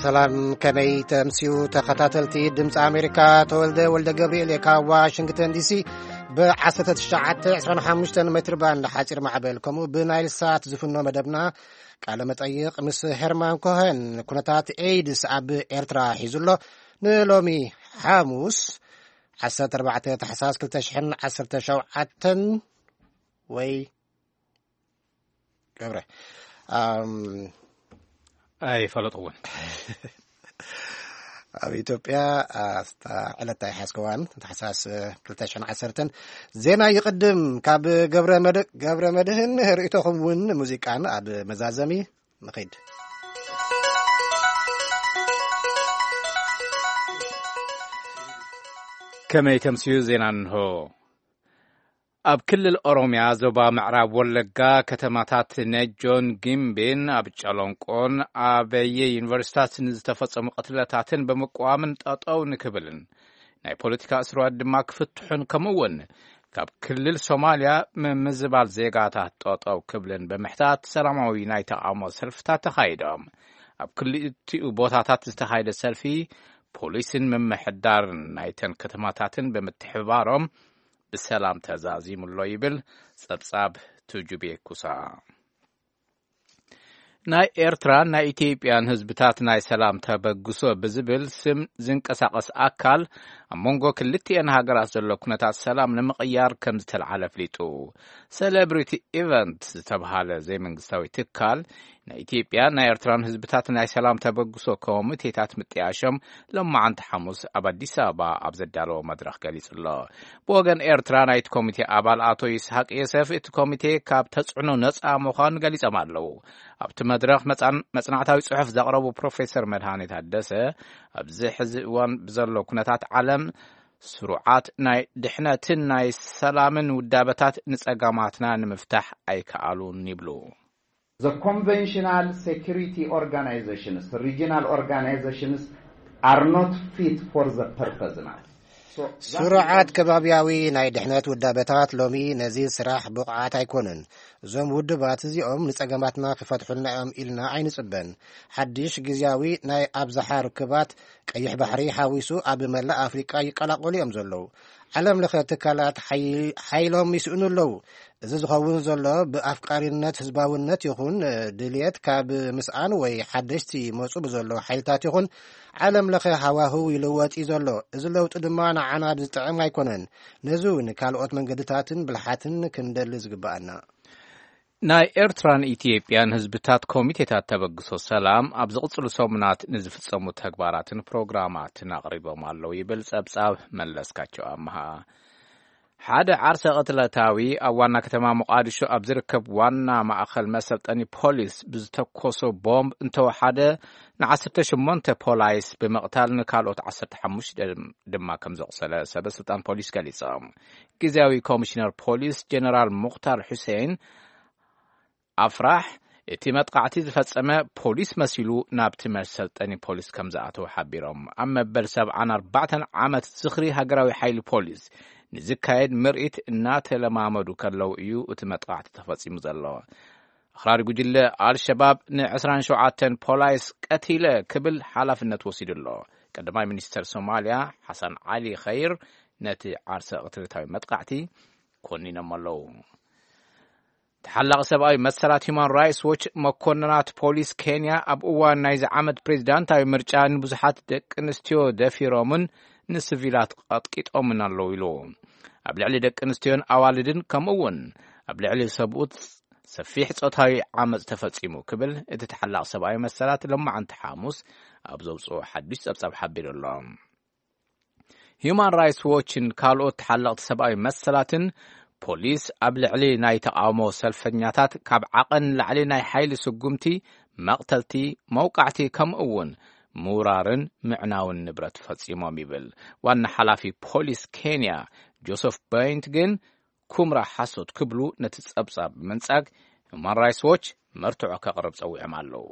ሰላም፣ ከመይ ተምስዩ ተኸታተልቲ ድምፂ ኣሜሪካ? ተወልደ ወልደ ገብርኤል እየ ካብ ዋሽንግተን ዲሲ። ብ1925 ሜትር ባንድ ሓፂር ማዕበል ከምኡ ብናይል ሳት ዝፍኖ መደብና ቃለ መጠይቕ ምስ ሄርማን ኮኸን ኩነታት ኤይድስ ኣብ ኤርትራ ሒዙ ኣሎ። ንሎሚ ሓሙስ 14 ታሕሳስ 2017 ወይ ገብረ፣ ኣም፣ ኣይፈለጥኩዎን። ኣብ ኢትዮጵያ፣ ኣ፣ ዕለት ኣይሓዝከዋን፣ ታሕሳስ፣ እ፣ ክልተ ሽሕን ዓሰርተን። ዜና ይቕድም። ካብ ገብረ መድ-፣ ገብረ መድህን ርእይቶኹም እውን ሙዚቃን ኣብ መዛዘሚ ንኺድ። ከመይ ተምስዩ ዜና እንሆ። ኣብ ክልል ኦሮምያ ዞባ ምዕራብ ወለጋ ከተማታት ነጆን ጊምቤን ኣብ ጨሎንቆን ኣበየ ዩኒቨርሲታት ንዝተፈጸሙ ቅትለታትን ብምቅዋምን ጠጠው ንክብልን ናይ ፖለቲካ እስርዋት ድማ ክፍትሑን ከምኡ እውን ካብ ክልል ሶማልያ ምምዝባል ዜጋታት ጠጠው ክብልን ብምሕታት ሰላማዊ ናይ ተቃውሞ ሰልፍታት ተኻይዶም። ኣብ ክልቲኡ ቦታታት ዝተኻየደ ሰልፊ ፖሊስን ምምሕዳርን ናይተን ከተማታትን ብምትሕብባሮም ብሰላም ተዛዚሙ ኣሎ ይብል ጸብጻብ ቱጁቤ ኩሳ። ናይ ኤርትራን ናይ ኢትዮጵያን ህዝብታት ናይ ሰላም ተበግሶ ብዝብል ስም ዝንቀሳቐስ ኣካል ኣብ መንጎ ክልቲኤን ሃገራት ዘሎ ኩነታት ሰላም ንምቕያር ከም ዝተልዓለ ኣፍሊጡ። ሴሌብሪቲ ኢቨንት ዝተብሃለ ዘይመንግስታዊ ትካል ናይ ኢትዮጵያ ናይ ኤርትራን ህዝብታት ናይ ሰላም ተበግሶ ኮሚቴታት ምጥያሾም ሎማዓንቲ ሓሙስ ኣብ ኣዲስ ኣበባ ኣብ ዘዳለዎ መድረኽ ገሊጹ ኣሎ። ብወገን ኤርትራ ናይቲ ኮሚቴ ኣባል ኣቶ ይስሐቅ የሰፍ እቲ ኮሚቴ ካብ ተጽዕኖ ነጻ ምዃኑ ገሊጾም ኣለዉ። ኣብቲ መድረኽ መጻን-፣ መጽናዕታዊ ጽሑፍ ዘቕረቡ ፕሮፌሰር መድሃኔ ታደሰ ኣብዚ ሕዚ እዋን ብዘሎ ኩነታት ዓለም ስሩዓት ናይ ድሕነትን ናይ ሰላምን ውዳበታት ንጸገማትና ንምፍታሕ ኣይከኣሉን ይብሉ። The conventional security organizations, regional organizations are not fit for the purpose now. So that ስሩዓት ከባብያዊ ናይ ድሕነት ውዳበታት ሎሚ ነዚ ስራሕ ብቑዓት ኣይኮኑን። እዞም ውድባት እዚኦም ንጸገማትና ክፈትሑልና እዮም ኢልና ኣይንጽበን። ሓድሽ ግዝያዊ ናይ ኣብዝሓ ርክባት ቀይሕ ባሕሪ ሓዊሱ ኣብ መላእ ኣፍሪቃ ይቀላቀሉ እዮም ዘለዉ። ዓለም ለኸ ትካላት ሓይ-፣ ሓይሎም ይስእኑ ኣለዉ። እዚ ዝኸውን ዘሎ ብኣፍቃሪነት ህዝባውነት ይኹን ድልየት ካብ ምስኣን ወይ ሓደሽቲ መጹ ብዘሎ ሓይልታት ይኹን ዓለም ለኸ ሃዋህው ይልወጥ እዩ ዘሎ። እዚ ለውጢ ድማ ንዓና ዝጥዕም ኣይኮነን። ነዚ እውን ካልኦት መንገድታትን ብልሓትን ክንደሊ ዝግብኣና። ናይ ኤርትራን ኢትዮጵያን ህዝብታት ኮሚቴታት ተበግሶ ሰላም ኣብ ዝቕጽሉ ሰሙናት ንዝፍጸሙ ተግባራትን ፕሮግራማትን ኣቕሪቦም ኣለዉ ይብል ጸብጻብ መለስካቸው ኣምሃ። ሓደ ዓርሰ ቅትለታዊ ኣብ ዋና ከተማ ሞቃዲሾ ኣብ ዝርከብ ዋና ማእኸል መሰልጠኒ ፖሊስ ብዝተኮሶ ቦምብ እንተወሓደ ን18 ፖላይስ ብምቕታል ንካልኦት 15 ድማ ከም ዘቑሰለ ሰበ ስልጣን ፖሊስ ገሊጾም። ግዝያዊ ኮሚሽነር ፖሊስ ጀነራል ሙኽታር ሑሴን ኣፍራሕ እቲ መጥቃዕቲ ዝፈጸመ ፖሊስ መሲሉ ናብቲ መሰልጠኒ ፖሊስ ከም ዝኣተወ ሓቢሮም። ኣብ መበል ሰብዓን ኣርባዕተን ዓመት ዝኽሪ ሃገራዊ ሓይሊ ፖሊስ ንዝካየድ ምርኢት እናተለማመዱ ከለዉ እዩ እቲ መጥቃዕቲ ተፈጺሙ ዘሎ። ኣኽራሪ ጉጅለ ኣልሸባብ ን27 ፖላይስ ቀቲለ ክብል ሓላፍነት ወሲዱ ኣሎ። ቀዳማይ ሚኒስተር ሶማልያ ሓሳን ዓሊ ኸይር ነቲ ዓርሰ ቅትለታዊ መጥቃዕቲ ኮኒኖም ኣለዉ። ተሓላቒ ሰብኣዊ መሰላት ሁማን ራይትስ ዎች መኮንናት ፖሊስ ኬንያ ኣብ እዋን ናይዚ ዓመት ፕሬዚዳንታዊ ምርጫ ንብዙሓት ደቂ ኣንስትዮ ደፊሮምን ንስቪላት ቀጥቂጦምን ኣለዉ ኢሉ። ኣብ ልዕሊ ደቂ ኣንስትዮን ኣዋልድን ከምኡ እውን ኣብ ልዕሊ ሰብኡት ሰፊሕ ጾታዊ ዓመጽ ተፈጺሙ ክብል እቲ ተሓላቒ ሰብኣዊ መሰላት ሎማዓንቲ ሓሙስ ኣብ ዘውፅኦ ሓዱሽ ጸብጻብ ሓቢሩ ኣሎ። ሁማን ራይትስ ዎችን ካልኦት ተሓለቕቲ ሰብኣዊ መሰላትን ፖሊስ ኣብ ልዕሊ ናይ ተቓውሞ ሰልፈኛታት ካብ ዓቐን ንላዕሊ ናይ ሓይሊ ስጉምቲ፣ መቕተልቲ፣ መውቃዕቲ ከምኡ እውን ምውራርን ምዕናውን ንብረት ፈጺሞም ይብል። ዋና ሓላፊ ፖሊስ ኬንያ ጆሰፍ በይንት ግን ኩምራ ሓሶት ክብሉ ነቲ ጸብጻብ ብምንጻግ ሁማን ራይትስ ዎች መርትዖ ከቕርብ ጸዊዖም ኣለዉ።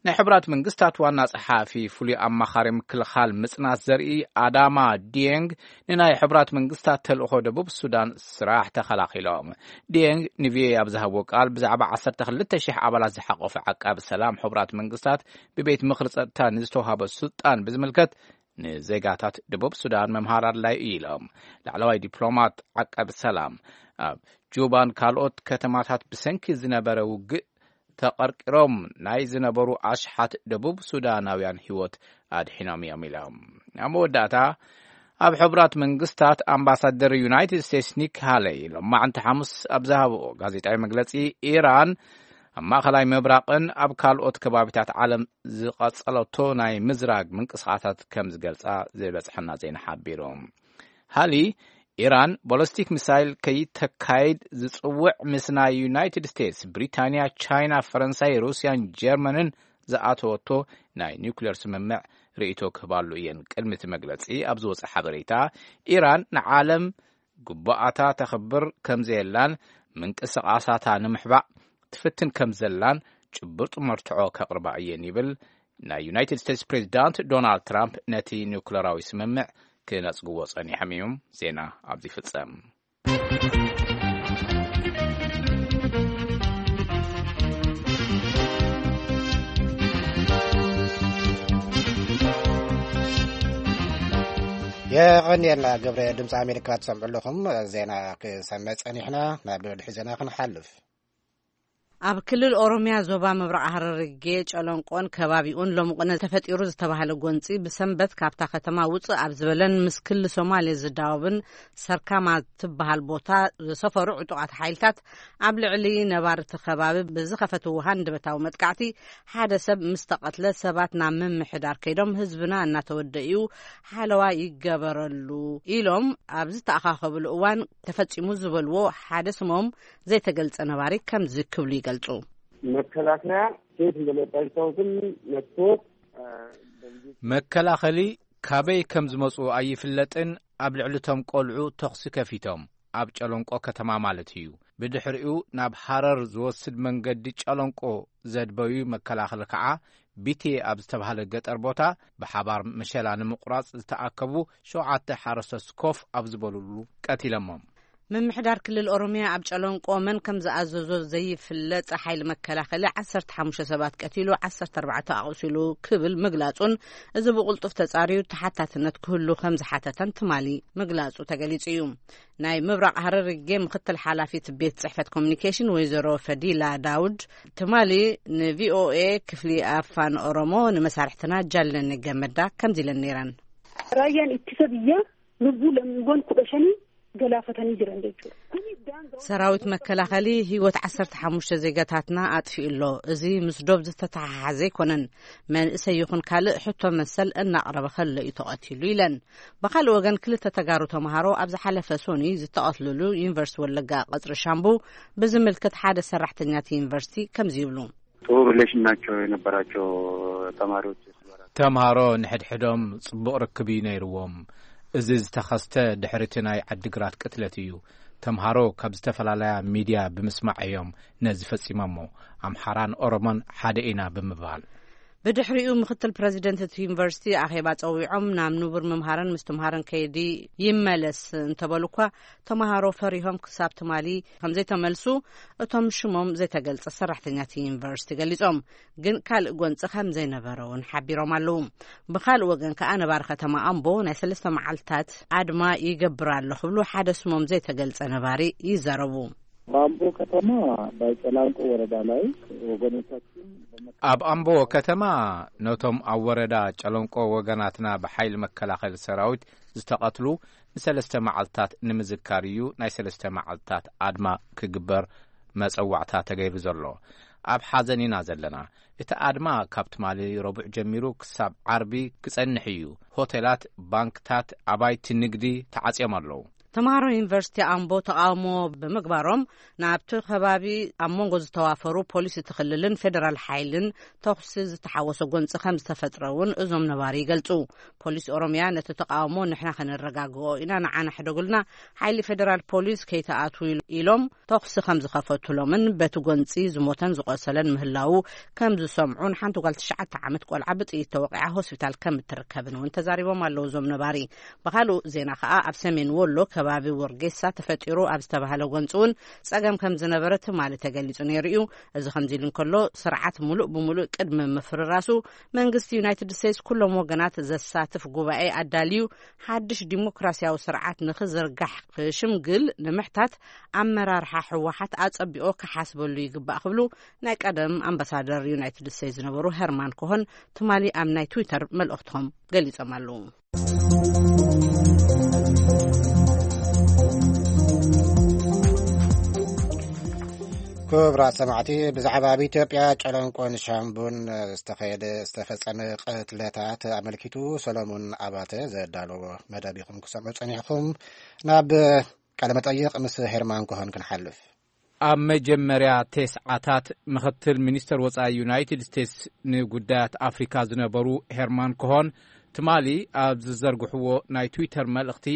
ናይ ሕቡራት መንግስታት ዋና ጸሓፊ ፍሉይ ኣማኻሪ ምክልኻል ምጽናት ዘርኢ ኣዳማ ዲየንግ ንናይ ሕቡራት መንግስታት ተልእኾ ደቡብ ሱዳን ስራሕ ተኸላኺሎም። ዲየንግ ንቪኦኤ ኣብ ዝሃብዎ ቃል ብዛዕባ ዓሰርተ ክልተ ሽሕ ኣባላት ዝሓቆፈ ዓቃቢ ሰላም ሕቡራት መንግስታት ብቤት ምኽሪ ጸጥታ ንዝተዋሃበ ስልጣን ብዝምልከት ንዜጋታት ደቡብ ሱዳን መምሃር ኣድላይ እዩ ኢሎም። ላዕለዋይ ዲፕሎማት ዓቃቢ ሰላም ኣብ ጁባን ካልኦት ከተማታት ብሰንኪ ዝነበረ ውግእ ተቐርቂሮም ናይ ዝነበሩ ኣሽሓት ደቡብ ሱዳናውያን ህይወት ኣድሒኖም እዮም ኢሎም። ኣብ መወዳእታ ኣብ ሕቡራት መንግስታት ኣምባሳደር ዩናይትድ ስቴትስ ኒክ ሃለይ ሎማዕንቲ ሓሙስ ኣብ ዝሃብኦ ጋዜጣዊ መግለጺ፣ ኢራን ኣብ ማእኸላይ ምብራቕን ኣብ ካልኦት ከባቢታት ዓለም ዝቐጸለቶ ናይ ምዝራግ ምንቅስቓሳት ከም ዝገልጻ ዝበጽሐና ዜና ሓቢሩ። ሃሊ፣ ኢራን ቦለስቲክ ሚሳይል ከይተካይድ ዝጽውዕ ምስ ናይ ዩናይትድ ስቴትስ፣ ብሪታንያ፣ ቻይና፣ ፈረንሳይ፣ ሩስያን ጀርመንን ዝኣተወቶ ናይ ኒውክሌር ስምምዕ ርእይቶ ክህባሉ እየን። ቅድሚ እቲ መግለጺ ኣብ ዝወጸ ሓበሬታ፣ ኢራን ንዓለም ግቡኣታ ተኽብር ከም ዘየላን ምንቅስቓሳታ ንምሕባእ ትፍትን ከም ዘላን ጭቡጥ መርትዖ ከቕርባ እየን ይብል። ናይ ዩናይትድ ስቴትስ ፕሬዚዳንት ዶናልድ ትራምፕ ነቲ ኒውክሌራዊ ስምምዕ ክነጽግዎ ጸኒሖም እዮም። ዜና ኣብዚ ይፍጸም። የቐንየልና ገብረ። ድምፂ ኣሜሪካ ትሰምዑ ኣለኹም። ዜና ክሰምዕ ጸኒሕና ናብ ድሕሪ ዜና ክንሓልፍ። ኣብ ክልል ኦሮምያ ዞባ ምብራቕ ሃረርጌ ጨለንቆን ከባቢኡን ሎምቕነ ተፈጢሩ ዝተባህለ ጎንፂ ብሰንበት ካብታ ከተማ ውፅእ ኣብ ዝበለን ምስ ክሊ ሶማሌ ዝዳወብን ሰርካማ ትበሃል ቦታ ዝሰፈሩ ዕጡቓት ሓይልታት ኣብ ልዕሊ ነባርቲ ከባቢ ብዝኸፈትዎ ሃንደበታዊ መጥቃዕቲ ሓደ ሰብ ምስ ተቐትለ ሰባት ናብ ምምሕዳር ከይዶም ህዝብና እናተወደ እዩ ሓለዋ ይገበረሉ ኢሎም ኣብ ዝተኣኻኸብሉ እዋን ተፈፂሙ ዝበልዎ ሓደ ስሞም ዘይተገልጸ ነባሪ ከምዚ ክብሉ ይገልጹ። መከላከያ ከየት እንደመጣ አይታወቅም። መጥቶ መከላኸሊ ካበይ ከም ዝመጹ ኣይፍለጥን። ኣብ ልዕሊ ቶም ቆልዑ ተኹሲ ከፊቶም፣ ኣብ ጨለንቆ ከተማ ማለት እዩ። ብድሕሪኡ ናብ ሃረር ዝወስድ መንገዲ ጨለንቆ ዘድበዩ መከላኸሊ ከዓ ቢቴ ኣብ ዝተባህለ ገጠር ቦታ ብሓባር መሸላ ንምቑራጽ ዝተኣከቡ ሸውዓተ ሓረስቶት ኮፍ ኣብ ዝበሉሉ ቀቲለሞም። ምምሕዳር ክልል ኦሮምያ ኣብ ጨለንቆ መን ከም ዝኣዘዞ ዘይፍለጥ ሓይሊ መከላኸሊ ዓሰርተ ሓሙሽተ ሰባት ቀቲሉ ዓሰርተ ኣርባዕተ ኣቑሲሉ ክብል ምግላጹን፣ እዚ ብቕልጡፍ ተጻርዩ ተሓታትነት ክህሉ ከም ዝሓተተን ትማሊ ምግላጹ ተገሊጹ እዩ። ናይ ምብራቕ ሃረርጌ ምክትል ሓላፊት ቤት ጽሕፈት ኮሚኒኬሽን ወይዘሮ ፈዲላ ዳውድ ትማሊ ንቪኦኤ ክፍሊ ኣፋን ኦሮሞ ንመሳርሕትና ጃለኒ ገመዳ ከምዚ ኢለን ነይረን። Raayyaan ittisa biyyaa lubbuu lammiiwwan kudha shanii galaafatanii jiran jechuudha. Kuni daangaa ሰራዊት መከላኸሊ ህይወት ዓሰርተ ሓሙሽተ ዜጋታትና ኣጥፊኡ ኣሎ። እዚ ምስ ዶብ ዝተተሓሓዘ ኣይኮነን። መንእሰይ ይኹን ካልእ ሕቶ መሰል እናቕረበ ከሎ እዩ ተቐቲሉ ኢለን። ብኻልእ ወገን ክልተ ተጋሩ ተምሃሮ ኣብ ዝሓለፈ ሶኒ ዝተቐትልሉ ዩኒቨርሲቲ ወለጋ ቀጽሪ ሻምቡ ብዝምልከት ሓደ ሰራሕተኛ እቲ ዩኒቨርሲቲ ከምዚ ይብሉ። ጥሩ ሪሌሽን ናቸው የነበራቸው ተማሪዎች። ተምሃሮ ንሕድሕዶም ጽቡቕ ርክብ እዩ ነይርዎም። እዚ ዝተኸስተ ድሕሪ እቲ ናይ ዓዲግራት ቅትለት እዩ። ተምሃሮ ካብ ዝተፈላለያ ሚድያ ብምስማዕ እዮም ነዚ ፈጺሞሞ። ኣምሓራን ኦሮሞን ሓደ ኢና ብምባል። ብድሕሪኡ ምክትል ፕረዚደንት እቲ ዩኒቨርሲቲ ኣኼባ ጸዊዖም ናብ ንቡር ምምሃርን ምስትምሃርን ከይዲ ይመለስ እንተበሉ እኳ ተምሃሮ ፈሪሆም ክሳብ ትማሊ ከም ዘይተመልሱ እቶም ሽሞም ዘይተገልጸ ሰራሕተኛቲ ዩኒቨርሲቲ ገሊጾም። ግን ካልእ ጎንፂ ከም ዘይነበረ እውን ሓቢሮም ኣለዉ። ብኻልእ ወገን ከኣ ነባሪ ከተማ ኣምቦ ናይ ሰለስተ መዓልታት ኣድማ ይገብር ኣሎ ክብሉ ሓደ ስሞም ዘይተገልጸ ነባሪ ይዛረቡ። በአምቦ ከተማ በጨላንቆ ወረዳ ላይ ወገኖቻችን በመ- ኣብ ኣምቦ ከተማ ነቶም ኣብ ወረዳ ጨለንቆ ወገናትና ብሓይሊ መከላኸሊ ሰራዊት ዝተቐትሉ ንሰለስተ መዓልታት ንምዝካር እዩ ናይ ሰለስተ መዓልታት ኣድማ ክግበር መጸዋዕታ ተገይሩ ዘሎ። ኣብ ሓዘን ኢና ዘለና። እቲ ኣድማ ካብ ትማሊ ረቡዕ ጀሚሩ ክሳብ ዓርቢ ክጸንሕ እዩ። ሆቴላት፣ ባንክታት፣ ኣባይቲ ንግዲ ተዓጽዮም ኣለዉ። ተምሃሮ ዩኒቨርሲቲ ኣምቦ ተቓውሞ ብምግባሮም፣ ናብቲ ከባቢ ኣብ መንጎ ዝተዋፈሩ ፖሊስ እቲ ክልልን ፌደራል ሓይልን ተኹሲ ዝተሓወሰ ጎንፂ ከም ዝተፈጥረ እውን እዞም ነባሪ ይገልፁ። ፖሊስ ኦሮሚያ ነቲ ተቓውሞ ንሕና ከነረጋግኦ ኢና፣ ንዓና ሕደጉልና፣ ሓይሊ ፌደራል ፖሊስ ከይተኣትዉ ኢሎም ተኹሲ ከም ዝኸፈቱሎምን በቲ ጎንፂ ዝሞተን ዝቆሰለን ምህላዉ ከም ዝሰምዑን ሓንቲ ጓል ትሽዓተ ዓመት ቆልዓ ብጥይት ተወቂዓ ሆስፒታል ከም እትርከብን እውን ተዛሪቦም ኣለዉ እዞም ነባሪ። ብኻልእ ዜና ከኣ፣ ኣብ ሰሜን ወሎ ከባቢ ወርጌሳ ተፈጢሩ ኣብ ዝተባህለ ጎንፂ እውን ጸገም ከም ዝነበረ ትማሊ ተገሊጹ ነይሩ እዩ። እዚ ከምዚ ኢሉ እንከሎ፣ ስርዓት ሙሉእ ብሙሉእ ቅድሚ ምፍርራሱ፣ መንግስቲ ዩናይትድ ስቴትስ ኩሎም ወገናት ዘሳትፍ ጉባኤ ኣዳልዩ፣ ሓድሽ ዲሞክራሲያዊ ስርዓት ንኽዝርጋሕ ክሽምግል ንምሕታት፣ ኣመራርሓ ህወሓት ኣጸቢቑ ክሓስበሉ ይግባእ ክብሉ ናይ ቀደም ኣምባሳደር ዩናይትድ ስቴትስ ዝነበሩ ሄርማን ኮሆን ትማሊ ኣብ ናይ ትዊተር መልእኽቶም ገሊጾም ኣለዉ። ክቡራት ሰማዕቲ፣ ብዛዕባ ኣብ ኢትዮጵያ ጨለንቆን ሻምቡን ዝተኸየደ፣ ዝተፈጸመ ቅትለታት ኣመልኪቱ ሰሎሞን ኣባተ ዘዳለዎ መደብ ኢኹም ክሰምዑ ጸኒሕኩም። ናብ ቃለ መጠይቕ ምስ ሄርማን ኮሆን ክንሓልፍ። ኣብ መጀመርያ ተስዓታት፣ ምኽትል ሚኒስተር ወጻኢ ዩናይትድ ስቴትስ ንጉዳያት ኣፍሪካ ዝነበሩ ሄርማን ኮሆን ትማሊ ኣብ ዝዘርግሕዎ ናይ ትዊተር መልእኽቲ፣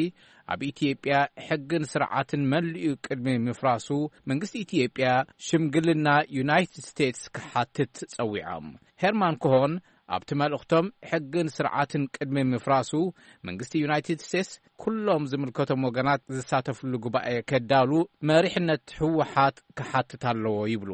ኣብ ኢትዮጵያ ሕግን ስርዓትን መሊኡ ቅድሚ ምፍራሱ፣ መንግስቲ ኢትዮጵያ ሽምግልና ዩናይትድ ስቴትስ ክሓትት ጸዊዖም። ሄርማን ኮሆን ኣብቲ መልእኽቶም፣ ሕግን ስርዓትን ቅድሚ ምፍራሱ፣ መንግስቲ ዩናይትድ ስቴትስ ኩሎም ዝምልከቶም ወገናት ዝሳተፍሉ ጉባኤ ከዳሉ መሪሕነት ህወሓት ክሓትት ኣለዎ ይብሉ።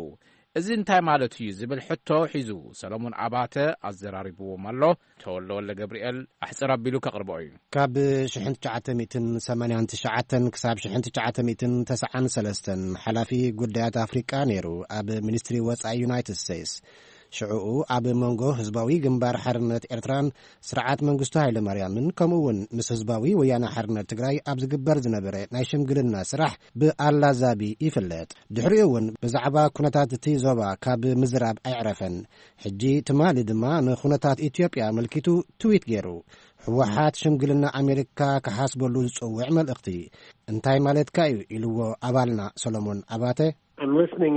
እዚ እንታይ ማለት እዩ ዝብል ሕቶ ሒዙ ሰሎሞን ኣባተ ኣዘራሪብዎም ኣሎ። ተወልደ ወልደ ገብርኤል ኣሕጽር ኣቢሉ ከቕርቦ እዩ። ካብ ሽሕን ትሽዓተ ሚእትን ሰማንያን ትሽዓተን ክሳብ ሽሕን ትሽዓተ ሚእትን ተስዓን ሰለስተን ሓላፊ ጉዳያት ኣፍሪቃ ነይሩ ኣብ ሚኒስትሪ ወጻኢ ዩናይትድ ስቴትስ። ሽዑኡ ኣብ መንጎ ህዝባዊ ግንባር ሓርነት ኤርትራን ስርዓት መንግስቱ ሃይለማርያምን፣ ከምኡ እውን ምስ ህዝባዊ ወያነ ሓርነት ትግራይ ኣብ ዝግበር ዝነበረ ናይ ሽምግልና ስራሕ ብኣላዛቢ ይፍለጥ። ድሕሪኡ እውን ብዛዕባ ኩነታት እቲ ዞባ ካብ ምዝራብ ኣይዕረፈን። ሕጂ ትማሊ ድማ ንኩነታት ኢትዮጵያ ኣመልኪቱ ትዊት ገይሩ። ህወሓት ሽምግልና ኣሜሪካ ክሓስበሉ ዝጽውዕ መልእኽቲ እንታይ ማለትካ እዩ? ኢልዎ ኣባልና ሰሎሞን ኣባተ። I'm listening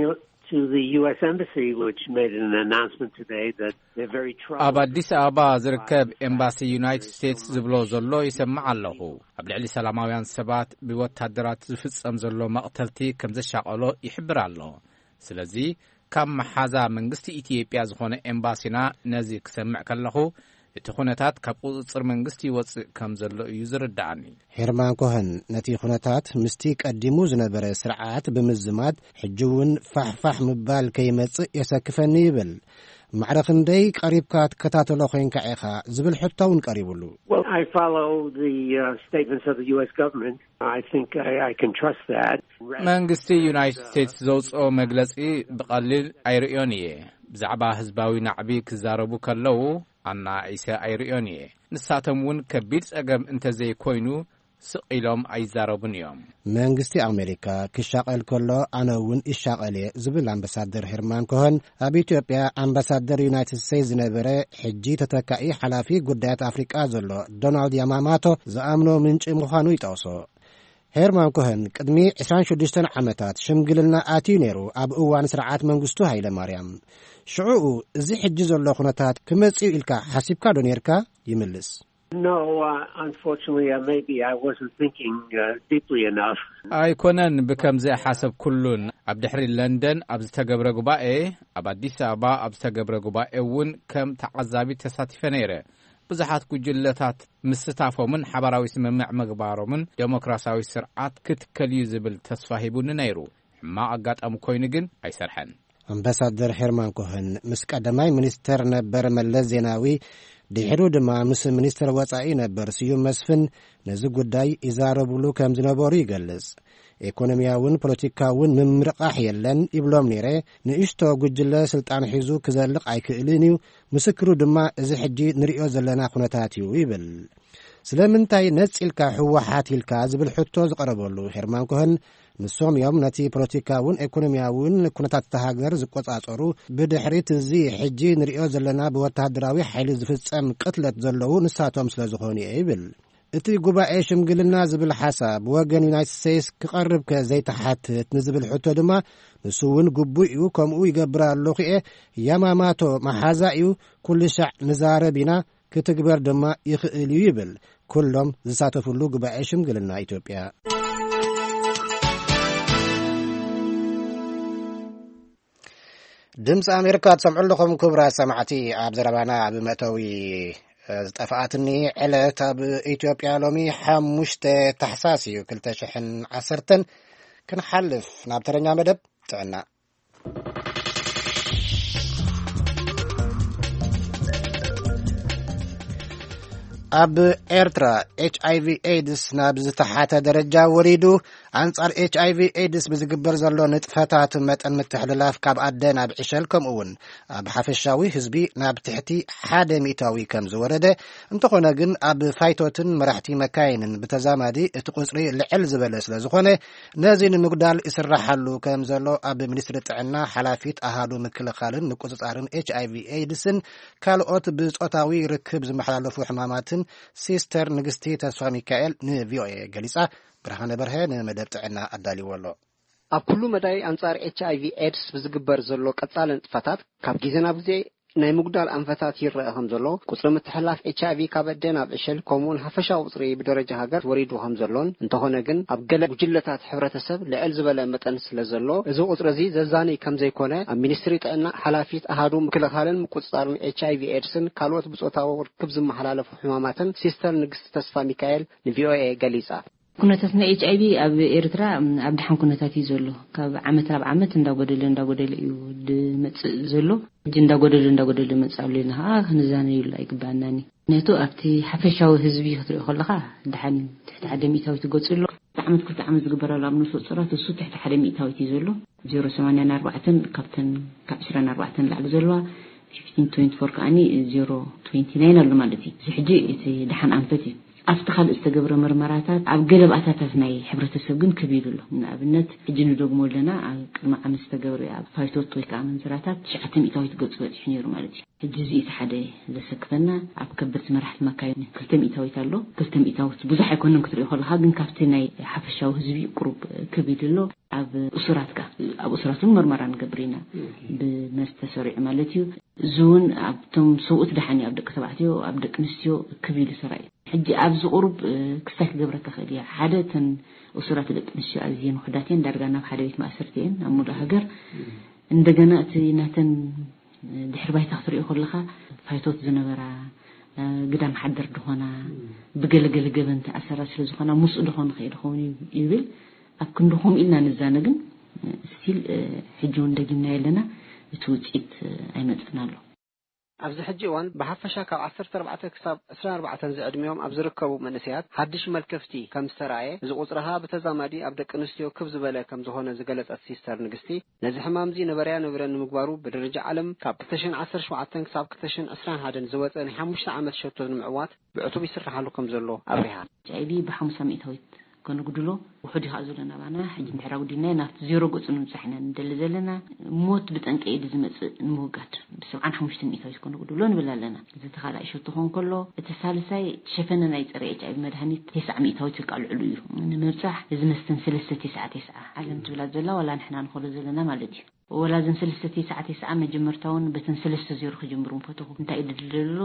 to the U S Embassy, which made an announcement today that they're very troubled. ኣብ ኣዲስ ኣበባ ዝርከብ ኤምባሲ ዩናይትድ ስቴትስ ዝብሎ ዘሎ ይሰምዕ ኣለኹ። ኣብ ልዕሊ ሰላማውያን ሰባት ብወታደራት ዝፍጸም ዘሎ መቕተልቲ ከም ዘሻቐሎ ይሕብር ኣሎ። ስለዚ፣ ካብ መሓዛ መንግስቲ ኢትዮጵያ ዝኾነ ኤምባሲና ነዚ ክሰምዕ ከለኹ፣ እቲ ኩነታት ካብ ቁጽጽር መንግስቲ ይወጽእ ከም ዘሎ እዩ ዝርድኣኒ። ሄርማን ኮኸን ነቲ ኩነታት ምስቲ ቀዲሙ ዝነበረ ስርዓት ብምዝማድ፣ ሕጂ እውን ፋሕፋሕ ምባል ከይመጽእ የሰክፈኒ ይብል። ማዕረ ክንደይ ቀሪብካ ትከታተሎ ኮይንካ ኢኻ ዝብል ሕቶ እውን ቀሪቡሉ። Well, I follow the uh, statements of the U S government. I think I, I can trust that. መንግስቲ ዩናይትድ ስቴትስ ዘውፅኦ መግለፂ ብቐሊል ኣይርእዮን እየ። ብዛዕባ ህዝባዊ ናዕቢ ክዛረቡ ከለዉ ኣናኢሰ ኣይርእዮን እየ። ንሳቶም እውን ከቢድ ጸገም እንተዘይኮይኑ ስቕ ኢሎም ኣይዛረቡን እዮም። መንግስቲ ኣሜሪካ ክሻቐል ከሎ ኣነ እውን ይሻቐል እየ ዝብል ኣምባሳደር ሄርማን ኮኸን፣ ኣብ ኢትዮጵያ ኣምባሳደር ዩናይትድ ስቴትስ ዝነበረ ሕጂ ተተካኢ ሓላፊ ጉዳያት ኣፍሪቃ ዘሎ ዶናልድ ያማማቶ ዝኣምኖ ምንጪ ምዃኑ ይጠቕሶ። ሄርማን ኮኸን ቅድሚ ዕስራን ሽዱሽተን ዓመታት ሽምግልና ኣትዩ ነይሩ፣ ኣብ እዋን ስርዓት መንግስቱ ሃይለ ማርያም። ሽዑኡ እዚ ሕጂ ዘሎ ኩነታት ክመጽእ ኢልካ ሓሲብካ ዶ ነይርካ? ይምልስ። No, uh, unfortunately, uh, maybe I wasn't thinking uh, deeply enough. ኣይኮነን ብከምዚ ሓሰብኩሉን። ኣብ ድሕሪ ለንደን ኣብ ዝተገብረ ጉባኤ፣ ኣብ ኣዲስ ኣበባ ኣብ ዝተገብረ ጉባኤ እውን ከም ተዓዛቢ ተሳቲፈ ነይረ። ብዙሓት ጉጅለታት ምስታፎምን ሓባራዊ ስምምዕ ምግባሮምን ዴሞክራሲያዊ ስርዓት ክትከል እዩ ዝብል ተስፋ ሂቡኒ ነይሩ። ሕማቕ ኣጋጣሚ ኮይኑ ግን ኣይሰርሐን። ኣምባሳደር ሄርማን ኮኸን ምስ ቀዳማይ ሚኒስተር ነበር መለስ ዜናዊ፣ ድሒሩ ድማ ምስ ሚኒስተር ወጻኢ ነበር ስዩም መስፍን ነዚ ጉዳይ ይዛረብሉ ከም ዝነበሩ ይገልጽ። ኢኮኖሚያውን ፖለቲካውን ምምርቓሕ የለን ይብሎም ነይረ። ንእሽቶ ጉጅለ ስልጣን ሒዙ ክዘልቕ ኣይክእልን እዩ። ምስክሩ ድማ እዚ ሕጂ ንርእዮ ዘለና ኩነታት እዩ ይብል። ስለምንታይ ነጺልካ ህወሓት ኢልካ ዝብል ሕቶ ዝቐረበሉ ሄርማን ኮኸን፣ ንሶም እዮም ነቲ ፖለቲካውን ኢኮኖሚያውን ኩነታት እታ ሃገር ዝቆጻጸሩ። ብድሕሪት እዚ ሕጂ ንርእዮ ዘለና ብወተሃደራዊ ሓይሊ ዝፍጸም ቅትለት ዘለዉ ንሳቶም ስለ ዝኾኑ እየ ይብል። እቲ ጉባኤ ሽምግልና ዝብል ሓሳብ ብወገን ዩናይትድ ስቴትስ ክቐርብ ከ ዘይተሓትት ንዝብል ሕቶ ድማ፣ ንሱ እውን ግቡእ እዩ፣ ከምኡ ይገብር ኣለኹ እየ፣ ያማማቶ መሓዛ እዩ፣ ኩሉ ሻዕ ንዛረብ ኢና፣ ክትግበር ድማ ይኽእል እዩ ይብል ኩሎም ዝሳተፍሉ ጉባኤ ሽምግልና ኢትዮጵያ። ድምፂ ኣሜሪካ ትሰምዑ ኣለኹም ክቡራት ሰማዕቲ። ኣብ ዘረባና ኣብ መእተዊ፣ እ፣ ዝጠፍኣትኒ ዕለት ኣብ ኢትዮጵያ ሎሚ ሓሙሽተ ታሕሳስ እዩ፣ ክልተ ሽሕን ዓሰርተን። ክንሓልፍ ናብ ተረኛ መደብ ጥዕና። ኣብ ኤርትራ ኤች ኣይ ቪ ኤድስ ናብ ዝተሓተ ደረጃ ወሪዱ። ኣንጻር ኤች ኣይ ቪ ኤድስ ብዝግበር ዘሎ ንጥፈታት መጠን ምትሕልላፍ ካብ ኣደ ናብ ዕሸል፣ ከምኡ እውን ኣብ ሓፈሻዊ ህዝቢ ናብ ትሕቲ ሓደ ሚእታዊ ከም ዝወረደ፣ እንተኾነ ግን ኣብ ፋይቶትን መራሕቲ መካይንን ብተዛማዲ እቲ ቁጽሪ ልዕል ዝበለ ስለ ዝኾነ፣ ነዚ ንምጉዳል ይስራሓሉ ከም ዘሎ ኣብ ሚኒስትሪ ጥዕና ሓላፊት ኣሃዱ ምክልኻልን ምቁጽጻርን ኤች ኣይ ቪ ኤድስን ካልኦት ብጾታዊ ርክብ ዝመሓላለፉ ሕማማትን ሲስተር ንግስቲ ተስፋ ሚካኤል ን ቪ ኦ ኤ ገሊጻ። ብርሃነ በርሀ ንመደብ ጥዕና ኣዳልዎ ኣሎ። ኣብ ኩሉ መዳይ ኣንጻር ኤች ኣይ ቪ ኤድስ ብዝግበር ዘሎ ቀጻሊ ንጥፈታት፣ ካብ ግዜ ናብ ግዜ ናይ ምጉዳል ኣንፈታት ይረአ ከም ዘሎ፣ ቁጽሪ ምትሕልላፍ ኤች ኣይ ቪ ካብ ኣደ ናብ ዕሸል፣ ከምኡውን ሓፈሻዊ ቁጽሪ ብደረጃ ሃገር ወሪዱ ከም ዘሎን፣ እንተኾነ ግን ኣብ ገለ ጉጅለታት ሕብረተሰብ ልዕል ዝበለ መጠን ስለ ዘሎ፣ እዚ ቁጽሪ እዚ ዘዛንይ ከም ዘይኮነ ኣብ ሚኒስትሪ ጥዕና ሓላፊት ኣሃዱ ምክልኻልን ምቁጽጻርን ኤች ኣይ ቪ ኤድስን ካልኦት ብጾታዊ ርክብ ዝመሓላለፉ ሕማማትን ሲስተር ንግስቲ ተስፋ ሚካኤል ን ቪ ኦ ኤ ገሊጻ። ኩነታት ናይ ኤች ኣይ ቪ ኣብ ኤርትራ ኣብ ደሓን ኩነታት እዩ ዘሎ። ካብ ዓመት ናብ ዓመት እንዳጎደለ እንዳጎደለ እዩ ዝመጽእ ዘሎ። ሕጂ እንዳጎደለ እንዳጎደለ ይመጽእ ኣሎ ኢልና ከዓ ክንዛነየሉ ኣይግባኣናን እዩ። ምክንያቱ ኣብቲ ሓፈሻዊ ህዝቢ ክትሪኦ ከለኻ ደሓን እዩ፣ ትሕቲ ሓደ ሚእታዊት ይገጽ ኣሎ። ክልተ ዓመት ክልተ ዓመት ዝግበራሉ ኣብ ነፍሰ ጡራት እሱ ትሕቲ ሓደ ሚእታዊት እዩ ዘሎ። ዜሮ ሰማንያን ኣርባዕተን ካብተን ካብ ዕስራን ኣርባዕተን ላዕሊ ዘለዋ ፊፍቲን ትዌንቲ ፎር ከዓኒ ዜሮ ትዌንቲ ናይን ኣሎ ማለት እዩ። እዚ ሕጂ እቲ ደሓን ኣንፈት እዩ። ኣብቲ ካልእ ዝተገብረ መርመራታት ኣብ ገለ ባእታታት ናይ ሕብረተሰብ ግን ክብ ኢሉ ኣሎ። ንኣብነት ሕጂ ንደግሞ ኣለና፣ ኣብ ቅድሚ ዓመት ዝተገብረ ኣብ ፋይቶት ወይ ከዓ መንዝራታት ትሽዓተ ሚእታዊት ገጹ በጺሑ ነይሩ ማለት እዩ። ሕጂ እዚ እቲ ሓደ ዘሰክፈና። ኣብ ከበድቲ መራሕቲ መካይን ክልተ ሚእታዊት ኣሎ። ክልተ ሚእታዊት ብዙሕ ኣይኮነን ክትሪኦ ከለኻ፣ ግን ካብቲ ናይ ሓፈሻዊ ህዝቢ ቁሩብ ክብ ኢሉ ኣሎ። ኣብ እሱራት ከ ኣብ እሱራት እውን መርመራ ንገብር ኢና፣ ብመስተ ሰሪዑ ማለት እዩ። እዚ እውን ኣብቶም ሰብኡት ደሓን እዩ፣ ኣብ ደቂ ተባዕትዮ ኣብ ደቂ ኣንስትዮ ክብ ኢሉ ተራእዩ። ሕጂ ኣብዚ ቁሩብ ክስታይ ክገብረካ ክእል እየ። ሓደ፣ እተን እሱራት ደቂ ኣንስትዮ ኣዝየን ውሑዳት እየን፣ ዳርጋ ናብ ሓደ ቤት ማእሰርቲ እየን ኣብ ሙሉእ ሃገር። እንደገና እቲ ናተን ድሕሪ ባይታ ክትሪኦ ከለኻ፣ ፋይቶት ዝነበራ፣ ግዳም ሓደር ድኾና፣ ብገለገለ ገበን ተኣሰራ ስለ ዝኾና ምስኡ ድኾን ይኸይድ ኸውን ይብል። ኣብ ክንዲ ከምኡ ኢልና ንዛነ ግን፣ ስቲል፣ ሕጂ እውን ደጊምና የለና፣ እቲ ውፅኢት ኣይመፅእን ኣሎ። ኣብዚ ሕጂ እዋን ብሓፈሻ ካብ ዓሰርተ ኣርባዕተ ክሳብ ዕስራን ኣርባዕተን ዝዕድሚኦም ኣብ ዝርከቡ መንእሰያት ሓድሽ መልከፍቲ ከም ዝተራእየ፣ እዚ ቁጽሪ ኸኣ ብተዛማዲ ኣብ ደቂ ኣንስትዮ ክብ ዝበለ ከም ዝኾነ ዝገለጸት ሲስተር ንግስቲ፣ ነዚ ሕማም እዚ ነበረያ ነበረ ንምግባሩ ብደረጃ ዓለም ካብ ክልተ ሽሕን ዓሰርተ ሸውዓተን ክሳብ ክልተ ሽሕን ዕስራን ሓደን ዝወጸ ናይ ሓሙሽተ ዓመት ሸቶ ንምዕዋት ብዕቱብ ይስራሓሉ ከም ዘሎ ኣብሪሃ። ኤች ኣይ ቪ ብሓሙሳ ሚእታዊት ከነጉድሎ ውሑድ እዩ ከኣ ዘሎ ናባና። ሕጂ እንድሕር ኣጉዲልናዮ ናብቲ ዜሮ ገጹ ንምብጻሕ ኢና ንደሊ ዘለና። ሞት ብጠንቂ ኤድስ ዝመጽእ ንምውጋድ ብሰብዓን ሓሙሽተ ሚእታዊት ከነጉድሎ ንብል ኣለና። እዚ ተኻላኢ ሸቶ ክኸውን ከሎ፣ እቲ ሳልሳይ ሸፈነ ናይ ጸረ ኤች ኣይ ቪ መድሃኒት ተስዓ ሚእታዊት ወይ ከኣ ልዕሉ እዩ ንምብጻሕ። እዚ መስተን ሰለስተ ተስዓ ተስዓ ዓለም ትብላ ዘላ ዋላ ንሕና ንኸዶ ዘለና ማለት እዩ። ወላ እዘን ሰለስተ ተስዓ ተስዓ መጀመርታውን በተን ሰለስተ ዜሮ ክጅምሩ ምፈተኹ። እንታይ እዩ ድልድል ዘሎ?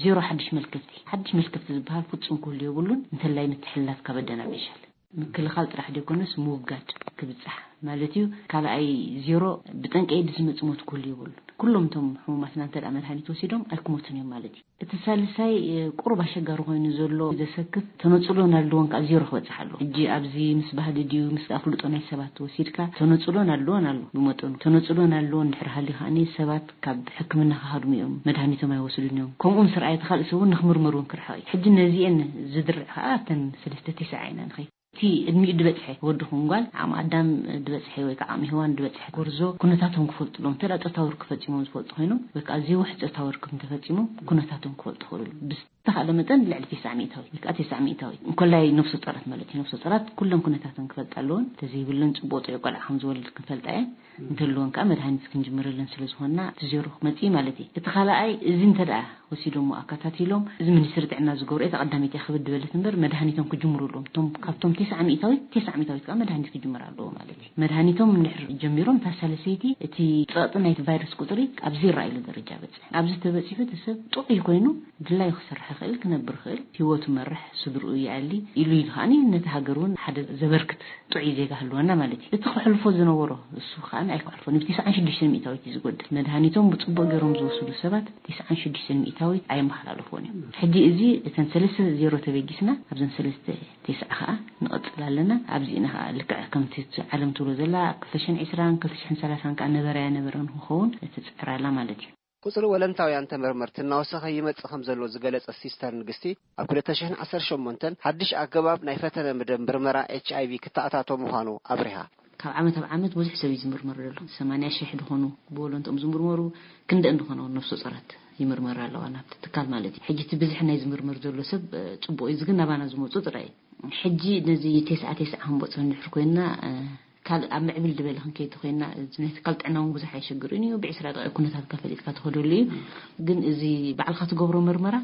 ዜሮ ሓድሽ መልከፍቲ። ሓድሽ መልከፍቲ ዝበሃል ፍጹም ክህሉ የብሉን። እንተላይ ምትሕልላፍ ካብ ኣደ ናብ ዕሸል። ምክልኻል ጥራሕ ዘይኮነስ ምውጋድ ክብጻሕ ማለት እዩ። ካልኣይ ዜሮ ብጠንቂ ኤድስ ዝመጽእ ሞት ክህሉ የብሉን። ኩሎም እቶም ሕሙማትና እንተ ደኣ መድሃኒት ወሲዶም ኣይክሞቱን እዮም ማለት እዩ። እቲ ሳልሳይ፣ እ፣ ቁሩብ ኣሸጋሪ ኮይኑ ዘሎ ዘሰክፍ ተነጽሎ ናልድወን ከኣ ዜሮ ክበጽሕ ኣለዎ። ሕጂ ኣብዚ ምስ ባህሊ ድዩ ምስ ኣፍልጦ ናይ ሰባት ወሲድካ ተነጽሎ ናልድወን ኣሎ ብመጠኑ። ተነጽሎ ናልድወን እንድሕር ሃልዩ ከኣኒ ሰባት ካብ ሕክምና ክሃድሙ እዮም፣ መድሃኒቶም ኣይወስዱን እዮም። ከምኡ ምስ ረኣየ እቲ ካልእ ሰብ እውን ንክምርመር እውን ክርሕቕ እዩ። ሕጂ ነዚኤን ዝድርዕ ከኣ ኣብተን ሰለስተ ተስዓ ኢና ንኸይድ። እቲ ዕድሚኡ ድበጽሐ ወዲ ኹን ጓል፣ ዓቕሚ ኣዳም ድበጽሐ ወይ ከዓ ዓቕሚ ሄዋን ድበጽሐ ጎርዞ ኩነታቶም ክፈልጡ ኣለዎም። እንተ ደኣ ጾታዊ ርክብ ፈጺሞም ዝፈልጡ ኮይኖም ወይ ከዓ ዘይውሕ ጾታዊ ርክብ እንተፈጺሞም ኩነታቶም ክፈልጡ ይኽእሉ። ብስ-፣ ዝተኻእለ መጠን ልዕሊ ተስዓ ሚእታዊት ወይ ከዓ ተስዓ ሚእታዊት እንኮላይ ነፍሰ ጾራት ማለት እዩ። ነፍሰ ጾራት ኩለን ኩነታተን ክፈልጣ ኣለዎን። ተዘይብለን ጽቡቕ ጥዑይ ቆልዓ ከም ዝወልድ ክንፈልጣ እየን። እንተልወን ከዓ መድሃኒት ክንጅምረለን ስለ ዝኾንና እቲ ዜሮ ክመጽእ እዩ ማለት እዩ። እቲ ካልኣይ እዚ እንተ ደኣ ወሲዶሞ ኣከታቲሎም እዚ ሚኒስትሪ ጥዕና ዝገብሮ እየ ተቐዳሚት እያ ክብድ በለት እምበር መድሃኒቶም ክጅምሩ ኣለዎም። እቶም ካብቶም ተስዓ ሚእታዊት ተስዓ ሚእታዊት ከዓ መድሃኒት ክጅምር ኣለዎ ማለት እዩ። መድሃኒቶም እንድሕር ጀሚሮም እታ ሳልሰይቲ እቲ ጸቕጢ ናይቲ ቫይረስ ቁጽሪ ኣብ ዜሮ ኢሉ ደረጃ በጽሕ። ኣብዚ ተበጺሑ እቲ ሰብ ጥዑይ ኮይኑ ድላዩ ክሰርሕ ይኽእል፣ ክነብር ይኽእል፣ ህይወቱ መርሕ፣ ስድርኡ ይኣሊ ኢሉ ኢሉ ከዓኒ ነቲ ሃገር እውን ሓደ ዘበርክት ጥዑይ ዜጋ ህልወና ማለት እዩ። እቲ ክሕልፎ ዝነበሮ እሱ ከዓኒ ኣይክሕልፎን። ብ ተስዓን ሽዱሽተን ሚእታዊት እዩ ዝጎድል። መድሃኒቶም ብጽቡቕ ገይሮም ዝወስዱ ሰባት ተስዓን ሽዱሽተን ሚእታዊት ኣየመሓላለፍዎን እዮም። ሕጂ እዚ እተን ሰለስተ ዜሮ ተበጊስና ኣብዘን ሰለስተ ተስዓ ከዓ ንቐጽል ኣለና። ኣብዚ ኢና ከዓ ልክዕ ከምቲ ዓለም ትብሎ ዘላ ኣብ ክልተ ሽሕን ዕስራን ክልተ ሽሕን ሰላሳን ከዓ ነበረ ኣይነበረ ንክኸውን ትጽዕር ኣላ ማለት እዩ። ቁጽሪ ወለንታውያን ተመርመርቲ እናወሰኸ ይመጽእ ከም ዘሎ ዝገለጸት ሲስተር ንግስቲ፣ ኣብ ክልተ ሽሕን ዓሰርተ ሸሞንተን ሓድሽ ኣገባብ ናይ ፈተነ ምደ-፣ ምርመራ ኤች ኣይ ቪ ክተኣታቶ ምዃኑ ኣብሪሃ። ካብ ዓመት ኣብ ዓመት ብዙሕ ሰብ እዩ ዝምርመር ዘሎ። ሰማንያ ሽሕ ዝኾኑ ብወለንትኦም ዝምርመሩ ክንደን ዝኾኑ ነፍሰ ጾራት ይምርመራ ኣለዋ ናብቲ ትካል ማለት እዩ። ሕጂ እቲ ብዝሒ ናይ ዝምርመር ዘሎ ሰብ፣ እ፣ ጽቡቕ እዩ። እዚ ግን ናባና ዝመጹ ጥራይ እዩ። ሕጂ ነዚ ተስዓ ተስዓ ክንበጽሖ እንድሕር ኮይንና፣ እ፣ ካልእ ኣብ ምዕብል ዝበለ ክንከይድ ተኮይንና፣ እዚ ናይ ትካል ጥዕና እውን ብዙሕ ኣይሸግርን እዩ። ብዕስራ ደቂቕ ኩነታትካ ፈሊጥካ ትኸደሉ እዩ። ግን እዚ ባዕልኻ ትገብሮ መርመራ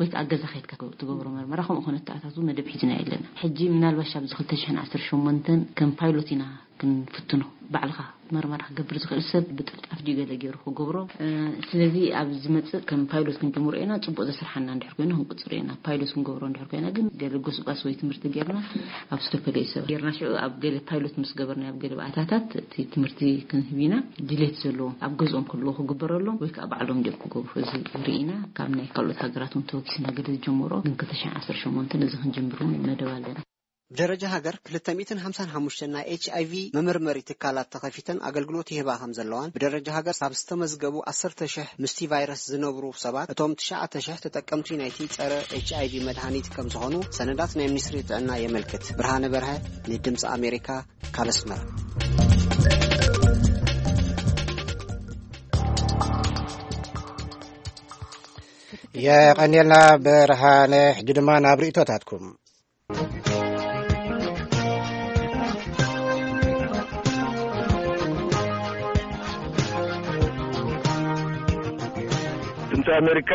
ወይ ከዓ ኣብ ገዛ ከይድካ ትገብሮ መርመራ፣ ከምኡ ኮነ ተኣታቱ መደብ ሒዝና የለና። ሕጂ ምናልባሽ ኣብዚ ክልተ ሽሕን ዓሰርተ ሸሞንተን ከም ፓይሎት ኢና ክንፍትኖ። ባዕልኻ መርመራ ክገብር ዝኽእል ሰብ ብጥልጣፍ ድዩ ገለ ገይሩ ክገብሮ። እ፣ ስለዚ ኣብ ዝመጽእ ከም ፓይሎት ክንጅምሮ ኢና። ጽቡቕ ዘስርሓና እንድሕር ኮይኑ ክንቅጽሮ ኢና። ፓይሎት ክንገብሮ እንድሕር ኮይና ግን ገለ ጎስጓስ ወይ ትምህርቲ ጌርና ኣብ ዝተፈላለዩ ሰባት ጌርና ሽዑ ኣብ ገለ ፓይሎት ምስ ገበርና ኣብ ገለ ባእታታት እቲ ትምህርቲ ክንህብ ኢና። ድሌት ዘለዎም ኣብ ገዝኦም ከለዉ ክግበረሎም ወይ ከዓ ባዕሎም ድዮም ክገብሩ እዚ ርኢና ካብ ናይ ካልኦት ሃገራት እውን ተወኪስና ገለ ዝጀመሮ ግን ክልተ ሽሕን ዓሰርተ ሸሞንተን እዚ ክንጅምር እውን መደብ ኣለና። ብደረጃ ሃገር ክልተ ሚእትን ሓምሳን ሓሙሽተን ናይ ኤች ኣይ ቪ መመርመሪ ትካላት ተኸፊተን ኣገልግሎት ይህባ ከም ዘለዋን፣ ብደረጃ ሃገር ካብ ዝተመዝገቡ ዓሰርተ ሽሕ ምስቲ ቫይረስ ዝነብሩ ሰባት፣ እቶም ትሽዓተ ሽሕ ተጠቀምቲ ናይቲ ጸረ ኤች ኣይ ቪ መድሃኒት ከም ዝኾኑ ሰነዳት ናይ ሚኒስትሪ ጥዕና የመልክት። ብርሃነ በርሀ ንድምፂ ኣሜሪካ ካብ ኣስመራ። የቐንየልና ብርሃነ። ሕጂ ድማ ናብ ርእይቶታትኩም። ድምፂ ኣሜሪካ፣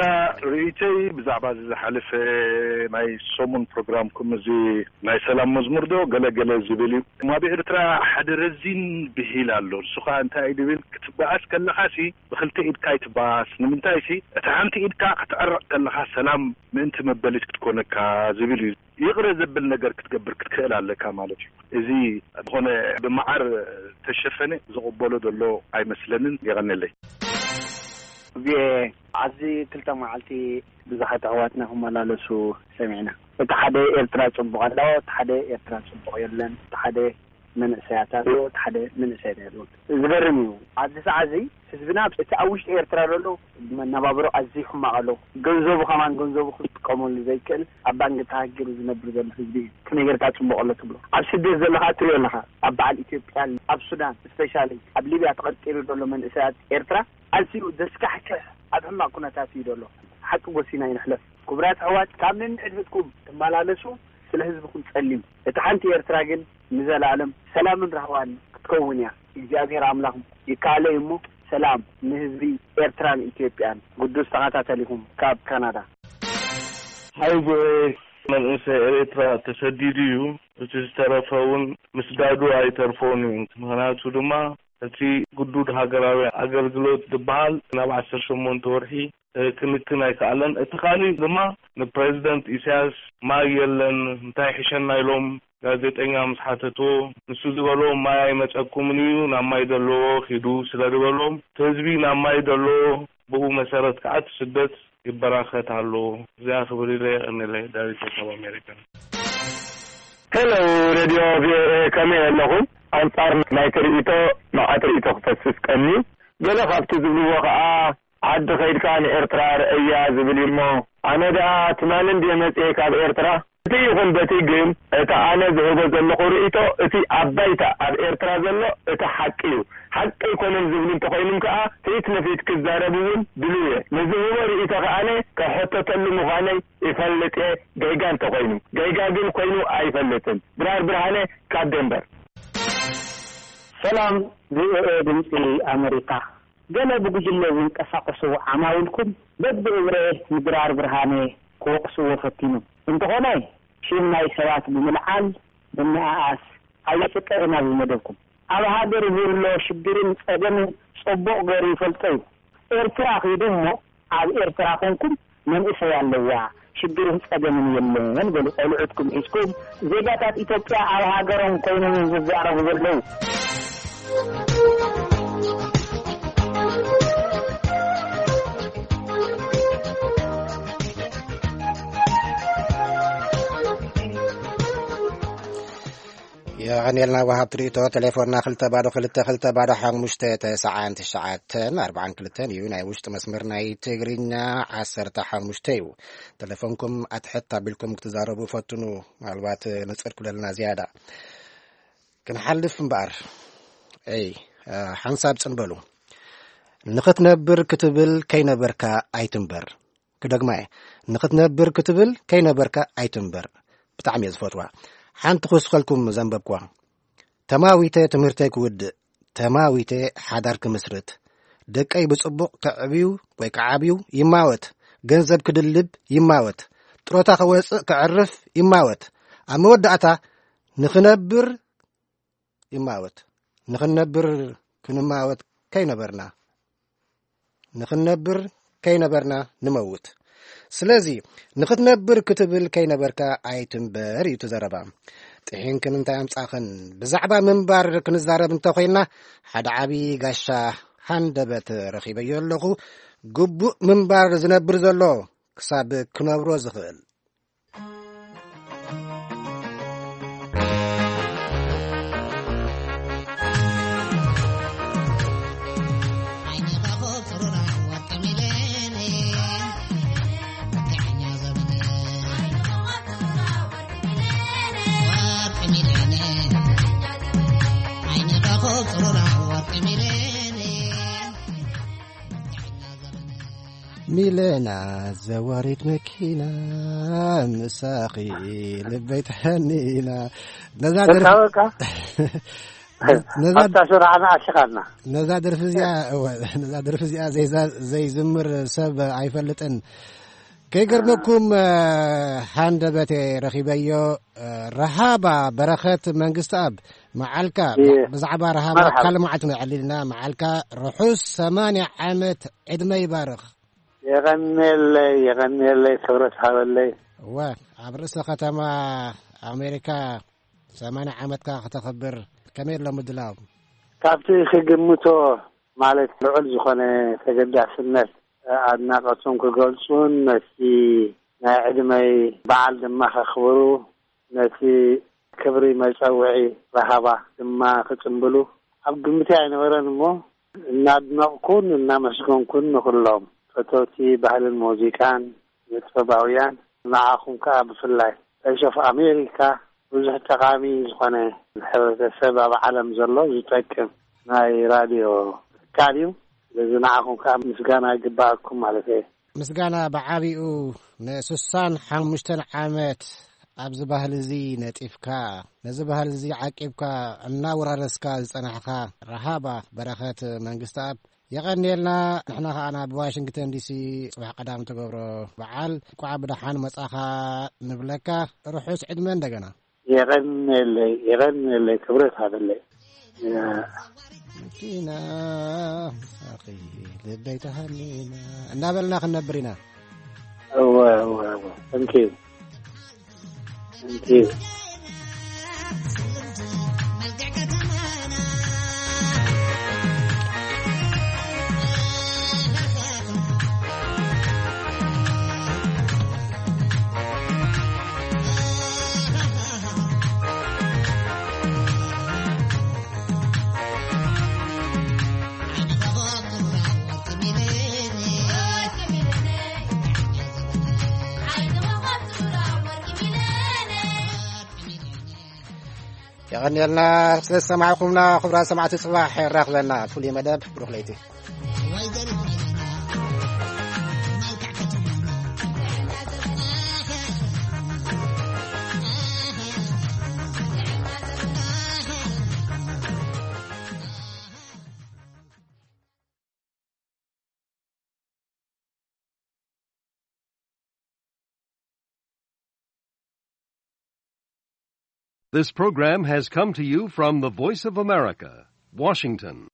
ርእይተይ ብዛዕባ እዚ ዝሓለፈ ናይ ሰሙን ፕሮግራምኩም፣ እዚ ናይ ሰላም መዝሙር ዶ ገለ ገለ ዝብል እዩ። ኣብ ኤርትራ ሓደ ረዚን ብሂል ኣሎ። ንሱ ከዓ እንታይ እዩ ዝብል? ክትበኣስ ከለኻሲ ብክልተ ኢድካ ኣይትበኣስ። ንምንታይሲ፣ እታ ሓንቲ ኢድካ ክትዕረቕ ከለኻ ሰላም ምእንቲ መበሊት ክትኮነካ ዝብል እዩ። ይቕረ ዘብል ነገር ክትገብር ክትክእል ኣለካ ማለት እዩ። እዚ ዝኾነ ብመዓር ተሸፈነ ዝቕበሎ ዘሎ ኣይመስለንን። የቐንየለይ። ቪኦኤ፣ ኣብዚ ክልተ መዓልቲ ብዙሓት ኣሕዋትና ክመላለሱ ሰሚዕና። እቲ ሓደ ኤርትራ ጽቡቕ ኣሎ፣ እቲ ሓደ ኤርትራ ጽቡቕ የለን፣ እቲ ሓደ መንእሰያት ኣሎ፣ እቲ ሓደ መንእሰያት የለን። ዝገርም እዩ። ኣብዚ ሰዓት እዚ ህዝብና እቲ ኣብ ውሽጢ ኤርትራ ዘሎ መነባብሮ ኣዝዩ ሕማቕ ኣሎ። ገንዘቡ ከማን ገንዘቡ ክጥቀመሉ ዘይክእል ኣብ ባንክ ተሃጊሩ ዝነብር ዘሎ ህዝቢ እዩ። ከመይ ጌርካ ጽቡቕ ኣሎ ትብሎ? ኣብ ስደት ዘለኻ እትሪኦ ኣለኻ። ኣብ በዓል ኢትዮጵያ፣ ኣብ ሱዳን፣ ስፔሻሊ ኣብ ሊብያ ተቐርቂሩ ዘሎ መንእሰያት ኤርትራ ኣዝዩ ዘስካሕክሕ ኣብ ሕማቕ ኩነታት እዩ ዘሎ። ሓቂ ጎሲና ይንሕለፍ። ክቡራት ኣሕዋት፣ ካብ ነንሕድሕድኩም ትመላለሱ፣ ስለ ህዝብኹም ጸልዩ። እታ ሓንቲ ኤርትራ ግን ንዘለኣለም ሰላምን ራህዋን ክትከውን እያ። እግዚኣብሔር ኣምላኽ ይከኣሎ እዩ እሞ፣ ሰላም ንህዝቢ ኤርትራን ኢትዮጵያን። ግዱስ ተኸታተሊኹም ካብ ካናዳ። ሓይጎ መንእሰይ ኤርትራ ተሰዲዱ እዩ። እቲ ዝተረፈ እውን ምስዳዱ ኣይተርፎን እዩ። ምኽንያቱ ድማ እቲ ግዱድ ሃገራዊ ኣገልግሎት ዝበሃል ናብ ዓሰርተ ሸሞንተ ወርሒ ክንክን ኣይከኣለን። እቲ ካልእ ድማ ንፕሬዚደንት ኢሳያስ ማይ የለን እንታይ ይሕሸና ኢሎም ጋዜጠኛ ምስ ሓተትዎ፣ ንሱ ዝበሎ ማይ ኣይመጸኩምን እዩ፣ ናብ ማይ ዘለዎ ኪዱ ስለ ዝበሎም፣ እቲ ህዝቢ ናብ ማይ ዘለዎ ብኡ መሰረት ከዓ እቲ ስደት ይበራኸት ኣሎ። እዚኣ ክብል ኢለ የቐንየለይ። ዳዊት ካብ ኣሜሪካ። ሄሎ ሬድዮ ቪኦኤ፣ ከመይ ኣለኹም? ኣንጻር ናይቲ ርእይቶ መዓት ርእይቶ ክፈስስ ቀኒ። ገለ ካብቲ ዝብልዎ ከኣ ዓዲ ከይድካ ንኤርትራ ርኣያ ዝብል እዩ እሞ፣ ኣነ ደኣ ትማሊ እንድየ መጽየ ካብ ኤርትራ፣ እቲ ይኹን በቲ ግን፣ እቲ ኣነ ዝህቦ ዘለኹ ርእይቶ፣ እቲ ኣብ ባይታ ኣብ ኤርትራ ዘሎ እቲ ሓቂ እዩ። ሓቂ ኣይኮነን ዝብሉ እንተኾይኖም ከኣ፣ ፊት ንፊት ክዛረቡ እውን ድሉው እየ። ንዝህቦ ርእይቶ ከኣነ ክሕተተሉ ምዃነይ ይፈልጥ እየ፣ ገይጋ እንተኾይኑ። ገይጋ ግን ኮይኑ ኣይፈልጥን። ድራር ብርሃነ ካብ ደንበር። ሰላም፣ ቪኦኤ ድምፂ ኣመሪካ። ገለ ብጉጅለ ዝንቀሳቐሱ ዓማዊልኩም በብእብረ ንድራር ብርሃነ ክወቕስዎ ፈቲኖም። እንተኾነ፣ ሽም ናይ ሰባት ብምልዓል ምንኣኣስ ኣየጽቅዕን ኣብዚ መደብኩም። ኣብ ሃገር ዝህሎ ሽግርን ጸገምን ጽቡቕ ገይሩ ይፈልጦ እዩ። ኤርትራ ኺዱ እሞ፣ ኣብ ኤርትራ ኾንኩም መንእሰይ ኣለዋ፣ ሽግርን ጸገምን የለን በሉ። ቆልዑትኩም ሒዝኩም፣ ዜጋታት ኢትዮጵያ ኣብ ሃገሮም ኮይኖም እዮም ዝዛረቡ ዘለዉ። የቐንየልና ወሃብቲ ርእይቶ። ቴሌፎንና ክልተ ባዶ ክልተ ክልተ ባዶ ሓሙሽተ ተስዓን ትሽዓተን ኣርባዓን ክልተን እዩ። ናይ ውሽጢ መስመር ናይ ትግርኛ ዓሰርተ ሓሙሽተ እዩ። ቴሌፎንኩም ኣትሕት ኣቢልኩም ክትዛረቡ ፈትኑ። ምናልባት ንጽር ክብለልና ዝያዳ ክንሓልፍ እምበኣር። እይ፣ ሓንሳብ ጽን በሉ። ንኽትነብር ክትብል ከይነበርካ ኣይትንበር። ክደግማ እየ። ንኽትነብር ክትብል ከይነበርካ ኣይትንበር። ብጣዕሚ እየ ዝፈትዋ። ሓንቲ ክውስኸልኩም ዘንበብኩዋ። ተማዊተ ትምህርተይ ክውድእ፣ ተማዊተ ሓዳር ክምስርት፣ ደቀይ ብጽቡቕ ከዕብዩ ወይ ክዓብዩ ይማወት፣ ገንዘብ ክድልብ ይማወት፣ ጥሮታ ክወጽእ ከዕርፍ ይማወት። ኣብ መወዳእታ ንኽነብር ይማወት። ንኽንነብር ክንማወት ከይነበርና፣ ንኽንነብር ከይነበርና ንመውት። ስለዚ ንኽትነብር ክትብል ከይነበርካ ኣይትንበር እዩ እቲ ዘረባ። ጥሒንክን እንታይ ኣምጻኽን? ብዛዕባ ምንባር ክንዛረብ እንተኾይንና፣ ሓደ ዓቢ ጋሻ ሃንደበት ረኺበዮ ኣለኹ። ግቡእ ምንባር ዝነብር ዘሎ ክሳብ ክነብሮ ዝኽእል። ሚለና ዘዋሪት መኪና፣ ምሳኺ ልበይ ተሃኒና። ነዛ ደርፊ፣ በቃ፣ በቃ። ነዛ፣ ኣብታ ስራሕና ኣሽኻልና። ነዛ ደርፊ እዚኣ፣ እወ፣ ነዛ ደርፊ እዚኣ ዘይዛ-፣ ዘይዝምር ሰብ ኣይፈልጥን። ከይገርመኩም፣ እ፣ ሃንደበቴ ረኺበዮ፣ እ፣ ረሃባ በረኸት መንግስትኣብ፣ መዓልካ፣ እየ። ብዛዕባ ረሃባ መርሓባ። ካልእ መዓልቲ ነዕልልና፣ መዓልካ ርሑስ ሰማንያ ዓመት ዕድመ ይባርኽ። የቐንየለይ፣ የቐንየለይ፣ ክብረት ሃበለይ። እወ፣ ኣብ ርእሰ ከተማ ኣሜሪካ ሰማንያ ዓመትካ ከተኽብር ከመይ ኣሎ ምድላው? ካብቲ ክግምቶ፣ ማለት፣ ልዑል ዝኾነ ተገዳስነት ኣድናቖቶም ክገልጹን ነቲ ናይ ዕድመይ በዓል ድማ ከኽብሩ፣ ነቲ ክብሪ መጸውዒ ራሃባ ድማ ክጽምብሉ ኣብ ግምተይ ኣይነበረን እሞ፣ እናድነቕኩን እናመስገንኩን ንኹሎም ፈተውቲ ባህልን ሙዚቃን ንጥበባውያን፣ ንዓኹም ከኣ ብፍላይ፣ ቮይስ ኦፍ ኣሜሪካ፣ ብዙሕ ጠቓሚ ዝኾነ ንሕብረተሰብ ኣብ ዓለም ዘሎ ዝጠቅም ናይ ራድዮ ትካል እዩ። ስለዚ ንዓኹም ከኣ ምስጋና ይግበኣኩም ማለት እየ። ምስጋና ብዓቢኡ ንስሳን ሓሙሽተን ዓመት ኣብዚ ባህሊ እዚ ነጢፍካ፣ ነዚ ባህሊ እዚ ዓቂብካ እናወራረስካ ዝጸናሕካ ረሃባ በረኸት መንግስተኣብ፣ የቐንየልና። ንሕና ከኣ ናብ ዋሽንግተን ዲሲ ጽባሕ ቀዳም ትገብሮ በዓል እንቋዕ ብደሓን መጻኻ ንብለካ። ርሑስ ዕድመ እንደገና። የቐንየለይ፣ የቐንየለይ፣ ክብረት ሃበለይ። ያ። መኪና፣ ኣኺ ልበይ ተሃኒና እናበልና ክንነብር ኢና። እወ፣ እወ፣ እወ። Thank you። Thank you። የቐንየልና ስለ ዝሰማዕኩምና። ክቡራት ሰማዕቲ፣ ጽባሕ የራኽበና ፍሉይ መደብ። ብሩኽ ለይቲ። This program has come to you from the Voice of America, Washington.